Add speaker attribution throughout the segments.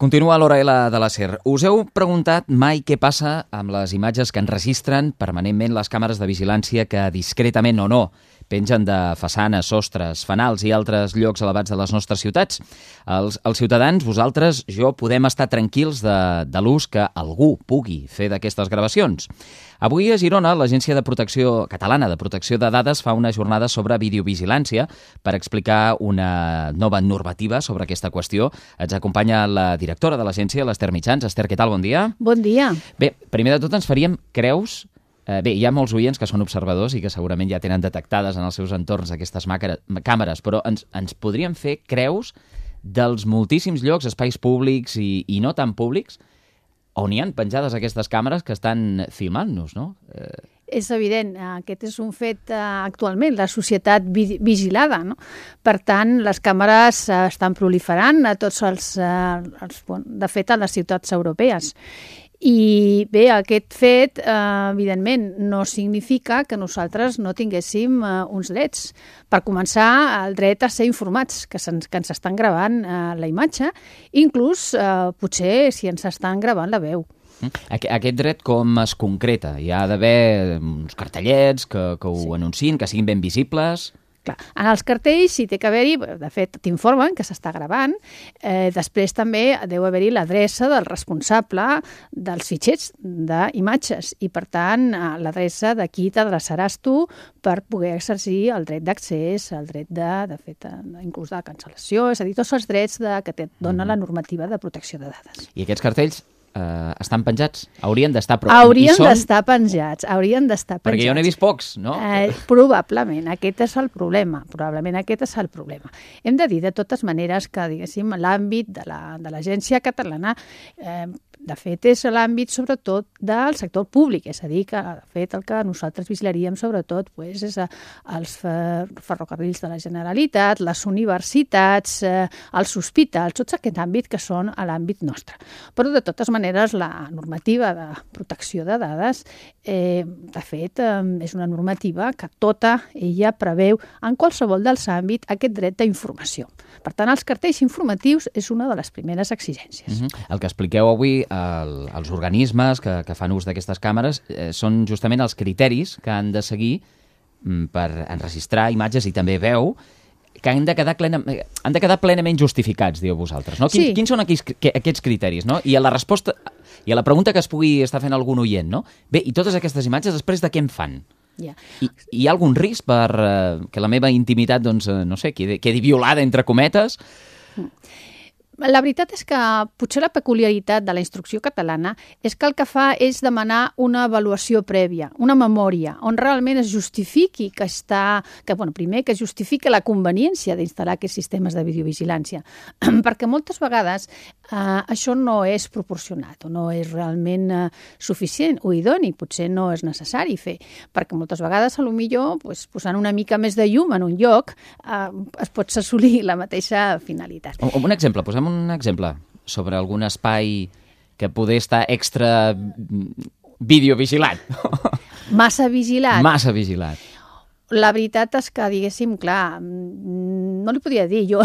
Speaker 1: Continua l'Hora L de la SER. Us heu preguntat mai què passa amb les imatges que enregistren permanentment les càmeres de vigilància que discretament o no pengen de façanes, sostres, fanals i altres llocs elevats de les nostres ciutats? Els ciutadans, vosaltres, jo, podem estar tranquils de l'ús que algú pugui fer d'aquestes gravacions. Avui a Girona, l'Agència de Protecció Catalana de Protecció de Dades fa una jornada sobre videovigilància per explicar una nova normativa sobre aquesta qüestió. Ens acompanya la directora de l'agència, l'Ester Mitjans. Ester, què tal? Bon dia.
Speaker 2: Bon dia.
Speaker 1: Bé, primer de tot ens faríem creus. Bé, hi ha molts oients que són observadors i que segurament ja tenen detectades en els seus entorns aquestes càmeres, però ens podríem fer creus dels moltíssims llocs, espais públics i no tan públics, on hi han penjades aquestes càmeres que estan filmant-nos, no?
Speaker 2: És evident, aquest és un fet actualment, la societat vigilada, no? Per tant, les càmeres estan proliferant a tots de fet, a les ciutats europees. I bé, aquest fet, evidentment, no significa que nosaltres no tinguéssim uns drets. Per començar, el dret a ser informats, que ens estan gravant la imatge, inclús potser si ens estan gravant la veu.
Speaker 1: Aquest dret com es concreta? Hi ha d'haver uns cartellets que ho anunciïn, que siguin ben visibles?
Speaker 2: Clar, en els cartells sí té que haver-hi, de fet t'informen que s'està gravant, després també deu haver-hi l'adreça del responsable dels fitxers d'imatges i per tant l'adreça de qui t'adreçaràs tu per poder exercir el dret d'accés, el dret de fet, inclús de cancel·lació, és a dir, tots els drets que et dona la normativa de protecció de dades.
Speaker 1: I aquests cartells estan penjats? Haurien d'estar...
Speaker 2: Haurien d'estar penjats.
Speaker 1: Perquè jo n'he vist pocs, no?
Speaker 2: Probablement, aquest és el problema. Hem de dir, de totes maneres, que, diguéssim, l'àmbit de l'Agència Catalana, de fet, és l'àmbit, sobretot, del sector públic. És a dir, que, de fet, el que nosaltres vigilaríem, sobretot, és els ferrocarrils de la Generalitat, les universitats, els hospitals, tots aquest àmbit que són a l'àmbit nostre. Però, de totes maneres, la normativa de protecció de dades, de fet, és una normativa que tota ella preveu en qualsevol dels àmbits aquest dret d'informació. Per tant, els cartells informatius és una de les primeres exigències.
Speaker 1: El que expliqueu avui, els organismes que fan ús d'aquestes càmeres, són justament els criteris que han de seguir per enregistrar imatges i també veu, que han de quedar plenament justificats, dieu vosaltres, no?
Speaker 2: Sí.
Speaker 1: Quins són aquests criteris, no? I a la resposta, i a la pregunta que es pugui estar fent algun oient, no? Bé, i totes aquestes imatges després de què en fan?
Speaker 2: Yeah.
Speaker 1: Hi ha algun risc per que la meva intimitat, doncs, no sé, quedi violada, entre cometes?
Speaker 2: La veritat és que potser la peculiaritat de la instrucció catalana és que el que fa és demanar una avaluació prèvia, una memòria, on realment es justifiqui primer que es justifiqui la conveniència d'instal·lar aquests sistemes de videovigilància, perquè moltes vegades això no és proporcionat o no és realment suficient o idoni, potser no és necessari fer, perquè moltes vegades potser posant una mica més de llum en un lloc es pot assolir la mateixa finalitat.
Speaker 1: Un exemple, posem un exemple sobre algun espai que poder estar extra videovigilat.
Speaker 2: Massa vigilat.
Speaker 1: Massa vigilat.
Speaker 2: La veritat és que, diguéssim, clar, no li podria dir. Jo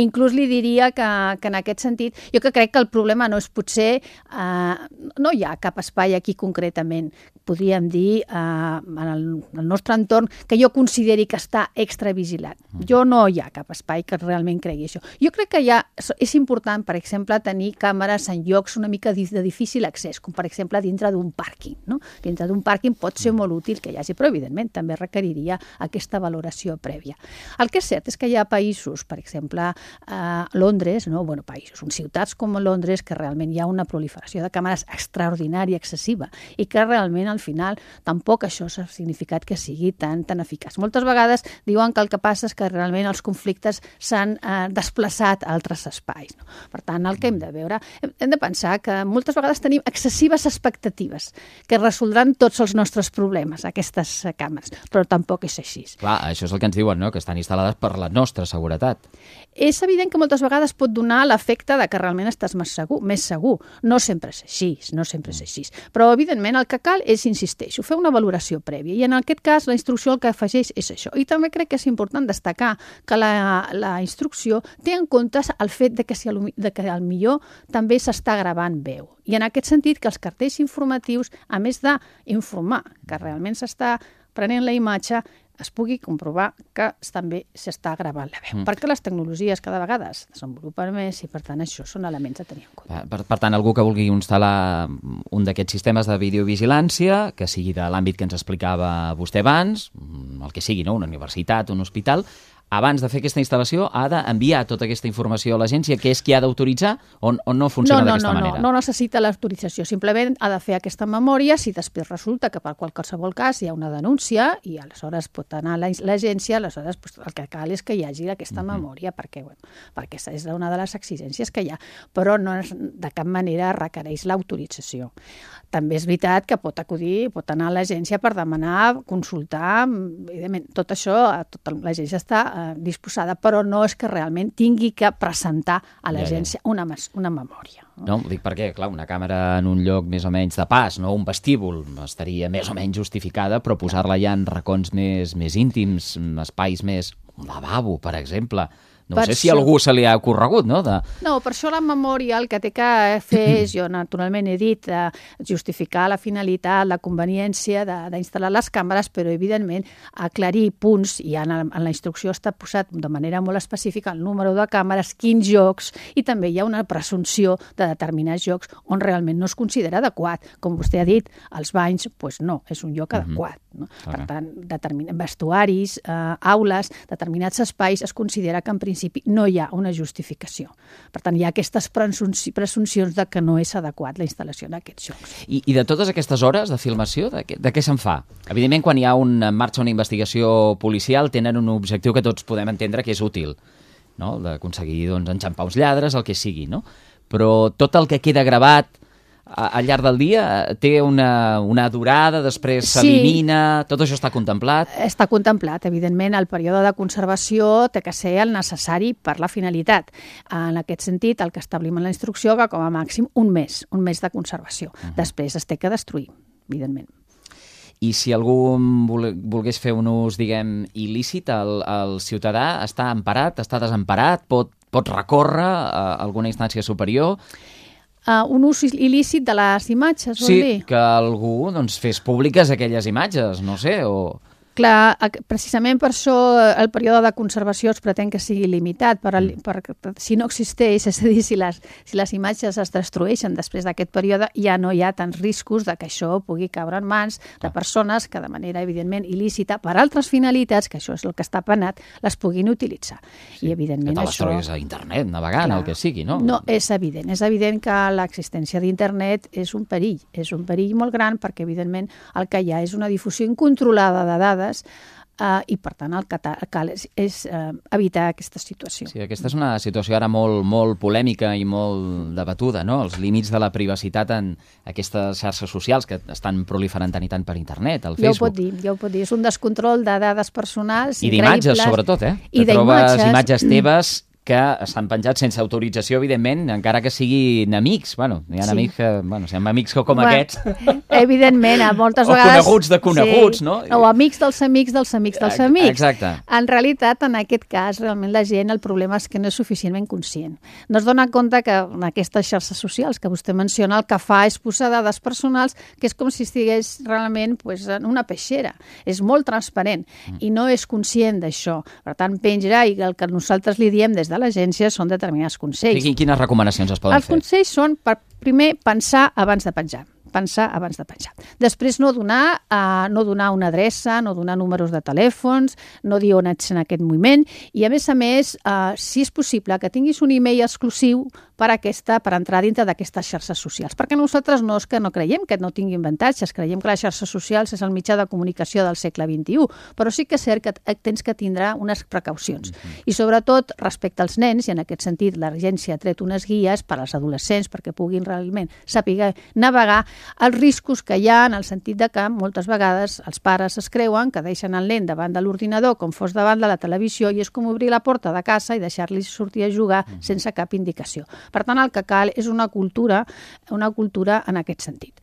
Speaker 2: inclús li diria que en aquest sentit, jo que crec que el problema no és potser, no hi ha cap espai aquí concretament, podríem dir, en el nostre entorn, que jo consideri que està extravigilat. Jo no hi ha cap espai que realment cregui això. Jo crec que és important, per exemple, tenir càmeres en llocs una mica de difícil accés, com per exemple dintre d'un pàrquing, no? Dintre d'un pàrquing pot ser molt útil que hi hagi, però evidentment també requeriria aquesta valoració prèvia. El que és cert és que hi ha països, per exemple, Londres, uns ciutats com Londres, que realment hi ha una proliferació de càmeres extraordinària, excessiva, i que realment al final tampoc això s'ha significat que sigui tan eficaç. Moltes vegades diuen que el que passa és que realment els conflictes s'han desplaçat a altres espais. No? Per tant, el que hem de veure, hem de pensar que moltes vegades tenim excessives expectatives que resoldran tots els nostres problemes, aquestes càmeres, però tampoc és ser així.
Speaker 1: Clar, això és el que ens diuen, no? Que estan instal·lades per la nostra seguretat.
Speaker 2: És evident que moltes vegades pot donar l'efecte de que realment estàs més segur. No sempre és així, Però, evidentment, el que cal és, insisteixo, fer una valoració prèvia. I en aquest cas, la instrucció el que afegeix és això. I també crec que és important destacar que la instrucció té en compte el fet de que al millor també s'està gravant veu. I en aquest sentit que els cartells informatius, a més d'informar que realment s'està prenent la imatge, es pugui comprovar que també s'està gravant la veu. Perquè les tecnologies cada vegada es desenvolupen més i, per tant, això són elements a tenir en compte.
Speaker 1: Per tant, algú que vulgui instal·lar un d'aquests sistemes de videovigilància, que sigui de l'àmbit que ens explicava vostè abans, el que sigui, no? Una universitat, un hospital, abans de fer aquesta instal·lació ha d'enviar tota aquesta informació a l'agència, que és qui ha d'autoritzar, o no funciona d'aquesta manera?
Speaker 2: No necessita l'autorització, simplement ha de fer aquesta memòria. Si després resulta que per qualsevol cas hi ha una denúncia i aleshores pot anar a l'agència, aleshores el que cal és que hi hagi aquesta memòria, perquè és una de les exigències que hi ha, però no de cap manera requereix l'autorització. També és veritat que pot anar a l'agència per demanar, consultar, evidentment, tot això, l'agència està disposada, però no és que realment tingui que presentar a l'agència una memòria.
Speaker 1: No, ho dic perquè, clar, una càmera en un lloc més o menys de pas, no un vestíbul, estaria més o menys justificada, però posar-la ja en racons més íntims, espais més... un lavabo, per exemple... No sé si a algú se li ha ocorregut, no?
Speaker 2: No, per això la memòria el que té que fer és, jo naturalment he dit, justificar la finalitat, la conveniència d'instal·lar les càmeres, però evidentment aclarir punts, i en la instrucció està posat de manera molt específica el número de càmeres, quins jocs, i també hi ha una presumpció de determinats jocs on realment no es considera adequat. Com vostè ha dit, els banys, doncs no, és un lloc adequat. No? Per tant, vestuaris, aules, determinats espais, es considera que en principi no hi ha una justificació. Per tant, hi ha aquestes presumpcions de que no és adequat la instal·lació d'aquests jocs.
Speaker 1: I de totes aquestes hores de filmació, de què se'n fa? Evidentment, quan hi ha en marxa una investigació policial, tenen un objectiu que tots podem entendre que és útil, no? D'aconseguir enxampar uns lladres, el que sigui, no? Però tot el que queda gravat al llarg del dia té una durada, després s'elimina... Tot això està contemplat? Està
Speaker 2: contemplat, evidentment. El període de conservació té que ser el necessari per la finalitat. En aquest sentit, el que establim en la instrucció que com a màxim un mes de conservació. Després es té que destruir, evidentment.
Speaker 1: I si algú volgués fer un ús, diguem, il·lícit, el ciutadà està emparat, està desemparat, pot recórrer a alguna instància superior...
Speaker 2: Un ús il·lícit de les imatges, vol dir?
Speaker 1: Sí, que algú fes públiques aquelles imatges, no sé, o...
Speaker 2: Clar, precisament per això el període de conservació es pretén que sigui limitat, si no existeix, és a dir, si les imatges es destrueixen després d'aquest període, ja no hi ha tants riscos de que això pugui caure en mans de persones que de manera evidentment il·lícita, per altres finalitats, que això és el que està penat, les puguin utilitzar.
Speaker 1: Sí, I evidentment que te les trobis a internet, navegant, el que sigui, no?
Speaker 2: No, és evident que l'existència d'internet és un perill molt gran perquè evidentment el que hi ha és una difusió incontrolada de dades i, per tant, el que cal és evitar aquesta situació.
Speaker 1: Sí, aquesta és una situació ara molt polèmica i molt debatuda, no? Els límits de la privacitat en aquestes xarxes socials que estan proliferant tant i tant per internet, al Facebook.
Speaker 2: Ja ho pot dir. És un descontrol de dades personals
Speaker 1: i d'imatges, sobretot,
Speaker 2: I
Speaker 1: que trobes imatges teves que s'han penjat sense autorització, evidentment, encara que siguin amics. Bueno, hi ha amics que, si hi ha amics com aquests...
Speaker 2: Evidentment, moltes vegades...
Speaker 1: O coneguts de coneguts, no?
Speaker 2: O amics dels amics dels amics dels amics.
Speaker 1: Exacte.
Speaker 2: En realitat, en aquest cas, realment la gent, el problema és que no és suficientment conscient. No es dona compte que en aquestes xarxes socials que vostè menciona, el que fa és posar dades personals que és com si estigués realment en una peixera. És molt transparent i no és conscient d'això. Per tant, penja, i el que nosaltres li diem des de l'agència són determinats consells.
Speaker 1: I quines recomanacions es poden fer?
Speaker 2: Els consells són, primer, pensar abans de penjar. Després no donar una adreça, no donar números de telèfons, no dir on ets en aquest moment i, a més, si és possible, que tinguis un e-mail exclusiu per entrar dintre d'aquestes xarxes socials. Perquè nosaltres no és que no creiem que no tinguin avantatges, creiem que les xarxes socials és el mitjà de comunicació del segle XXI, però sí que és cert que tens que tindre unes precaucions. I sobretot respecte als nens, i en aquest sentit l'agència ha tret unes guies per als adolescents perquè puguin realment saber navegar els riscos que hi ha en el sentit de que moltes vegades els pares es creuen que deixen el nen davant de l'ordinador com fos davant de la televisió i és com obrir la porta de casa i deixar-li sortir a jugar sense cap indicació. Per tant, el que cal és una cultura en aquest sentit.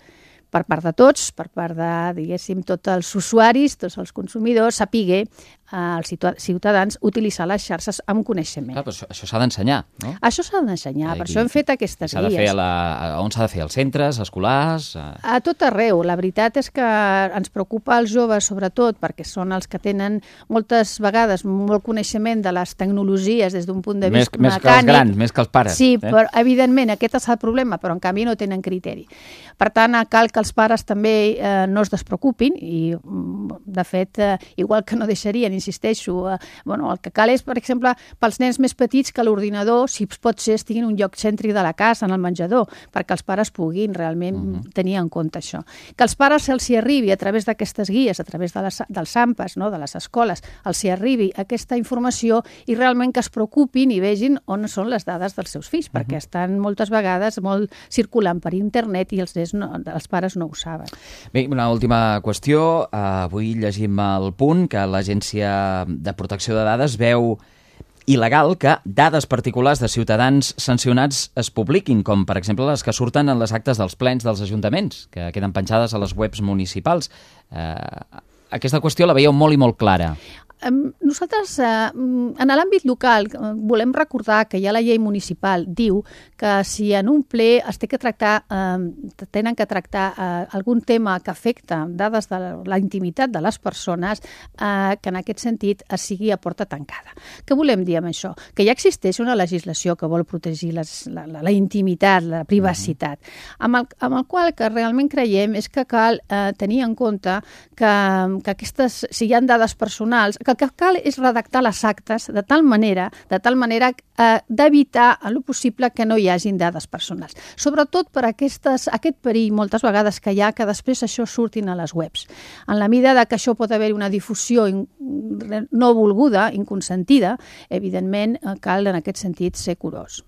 Speaker 2: Per part de tots, per part de, diguéssim, tots els usuaris, tots els consumidors, sapiguer els ciutadans utilitzar les xarxes amb coneixement.
Speaker 1: Clar, però això s'ha d'ensenyar, no?
Speaker 2: Això s'ha d'ensenyar, per això hem fet aquestes guies.
Speaker 1: On s'ha de fer? Als centres, escolars?
Speaker 2: A tot arreu. La veritat és que ens preocupa els joves, sobretot, perquè són els que tenen moltes vegades molt coneixement de les tecnologies des d'un punt de vista mecànic.
Speaker 1: Més que els grans, més que els pares.
Speaker 2: Sí, però evidentment aquest és el problema, però en canvi no tenen criteri. Per tant, cal que els pares també no es despreocupin i, de fet, igual que no deixarien, insisteixo, el que cal és, per exemple, pels nens més petits que l'ordinador, si pot ser, estigui en un lloc cèntric de la casa, en el menjador, perquè els pares puguin realment tenir en compte això. Que els pares se'ls hi arribi a través d'aquestes guies, a través dels AMPAs, de les escoles, els hi arribi aquesta informació i realment que es preocupin i vegin on són les dades dels seus fills, perquè estan moltes vegades molt circulant per internet i els pares no ho saben.
Speaker 1: Bé, una última qüestió. Avui llegim el punt que l'Agència de Protecció de Dades veu il·legal que dades particulars de ciutadans sancionats es publiquin, com per exemple les que surten en les actes dels plens dels ajuntaments, que queden penjades a les webs municipals. Aquesta qüestió la veieu molt i molt clara.
Speaker 2: Nosaltres, en l'àmbit local, volem recordar que ja la llei municipal diu que si en un ple tenen que tractar algun tema que afecta dades de la intimitat de les persones, que en aquest sentit es sigui a porta tancada. Què volem dir amb això? Que ja existeix una legislació que vol protegir la intimitat, la privacitat, amb el qual que realment creiem és que cal tenir en compte que aquestes, si hi ha dades personals, que el que cal és redactar les actes de tal manera d'evitar a lo possible que no hi hagin dades personals. Sobretot per aquest perill moltes vegades que hi ha que després això surtin a les webs. En la mida que això pot haver una difusió no volguda, inconsentida, evidentment cal en aquest sentit ser curós.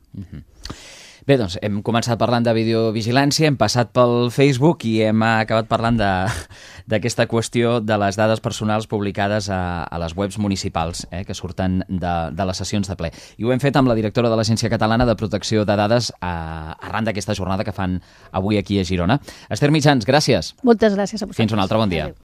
Speaker 1: Bé, doncs hem començat parlant de videovigilància, hem passat pel Facebook i hem acabat parlant d'aquesta qüestió de les dades personals publicades a les webs municipals que surten de les sessions de ple. I ho hem fet amb la directora de l'Agència Catalana de Protecció de Dades arran d'aquesta jornada que fan avui aquí a Girona. Esther Mitjans, gràcies.
Speaker 2: Moltes gràcies a vosaltres.
Speaker 1: Fins un altre bon dia. Adéu.